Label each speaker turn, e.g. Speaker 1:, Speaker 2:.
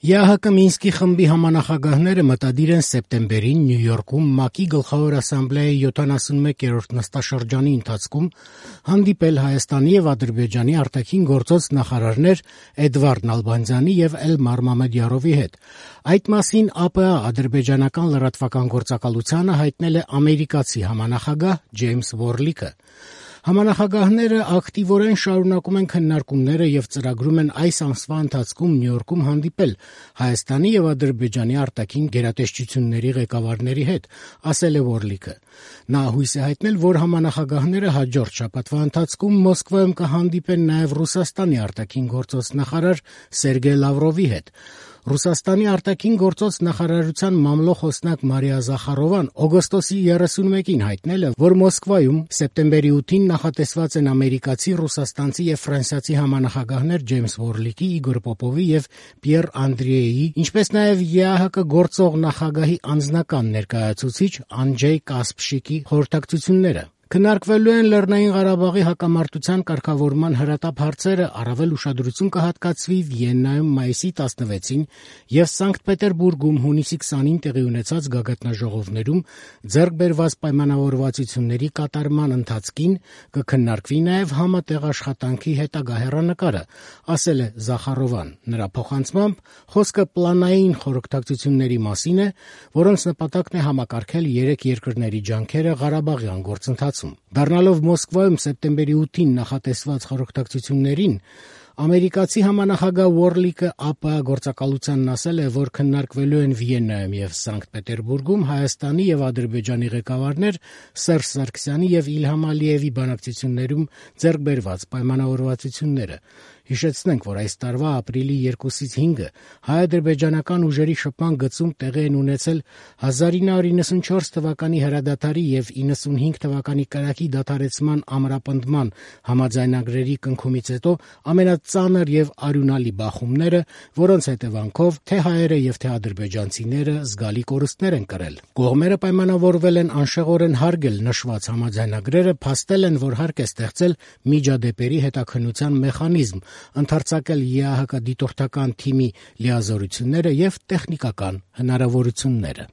Speaker 1: ԵԱՀԿ Մինսկի խմբի համանախագահները մտադիր են սեպտեմբերին Նյու Յորքում ՄԱԿ-ի Գլխավոր ասամբլեայի 71-րդ նստաշրջանի ընթացքում հանդիպել Հայաստանի եւ Ադրբեջանի արտաքին գործոց նախարարներ Էդվարդ Նալբանդյանի եւ Էլմար Մամեդյարովի հետ։ Այդ մասին ԱՊՀ ադրբեջանական լրատվական գործակալությանը հայտնել է ամերիկացի համանախագահ Ջեյմս Որլիքը։ Համանախագահները ակտիվորեն շարունակում են քննարկումները եւ ծրագրում են այս ամսվա ընթացքում Նյու Յորքում հանդիպել Հայաստանի եւ Ադրբեջանի արտաքին գերատեսչությունների ղեկավարների հետ, ասել է Որլիքը։ Նա հույս է հայտնել, որ համանախագահները հաջորդ շաբաթվա ընթացքում Մոսկվայում կհանդիպեն նաեւ Ռուսաստանի արտաքին գործոց նախարար Սերգեյ Լավրովի հետ։ Ռուսաստանի արտաքին գործոց նախարարության մամլո խոսնակ Մարիա Զախարովան օգոստոսի 31-ին հայտնել է, որ Մոսկվայում սեպտեմբերի 8-ին նախատեսված են ամերիկացի, ռուսաստանցի եւ ֆրանսիացի համանախագահներ Ջեյմս Որլիքի, Իգոր Պոպովի եւ Պիեր Անդրիեի, ինչպես նաեւ ԵԱՀԿ գործող նախագահի անձնական ներկայացուցիչ Անջեյ Կասպշիկի խորհրդակցությունները։ Քննարկվելու են Լեռնային Ղարաբաղի հակամարտության կարգավորման հրատապ հարցերը, առավել ուշադրություն կհատկացվի Վիեննայում մայիսի 16-ին եւ Սանկտ Պետերբուրգում հունիսի 20-ին տեղի ունեցած գագաթնաժողովներում ձեռք բերված պայմանավորվածությունների կատարման ընթացքին, կքննարկվի նաեւ համատեղ աշխատանքի հետագա հեռանկարը, ասել է Զախարովան։ Նրա փոխանցմամբ խոսքը պլանային խորհրդակցությունների մասին է, որոնց նպատակն է համակարգել երեք երկրների ջանքերը Ղարաբաղյան գործընթացում։ Դառնալով Մոսկվայում սեպտեմբերի 8-ին նախատեսված խորհրդակցություններին, ամերիկացի համանախագահ Որլիքը ԱՊՀ գործակալությանն ասել է, որ քննարկվելու են Վիեննայում եւ Սանկտ Պետերբուրգում Հայաստանի եւ Ադրբեջանի ղեկավարներ Սերժ Սարգսյանի եւ Իլհամ Ալիևի բանակցություններում ձեռք բերված պայմանավորվածությունները։ Հիշեցնենք, որ այս տարվա ապրիլի 2-ից 5-ը հայ-ադրբեջանական ուժերի շփման գծում տեղի են ունեցել 1994 թվականի հրադադարի եւ 95 թվականի կրակի դադարեցման ամրապնդման համաձայնագրերի կնքումից հետո ամենածանր եւ արյունալի բախումները, որոնց հետևանքով թե հայերը եւ թե ադրբեջանցիները զգալի կորուստներ են կրել։ Կողմերը պայմանավորվել են անշեղորեն հարգել նշված համաձայնագրերը, փաստել են, որ հարկ է ստեղծել միջադեպերի հետաքննության մեխանիզմ, ընդարձակել ԵԱՀԿ դիտորդական թիմի լիազորությունները եւ տեխնիկական հնարավորությունները։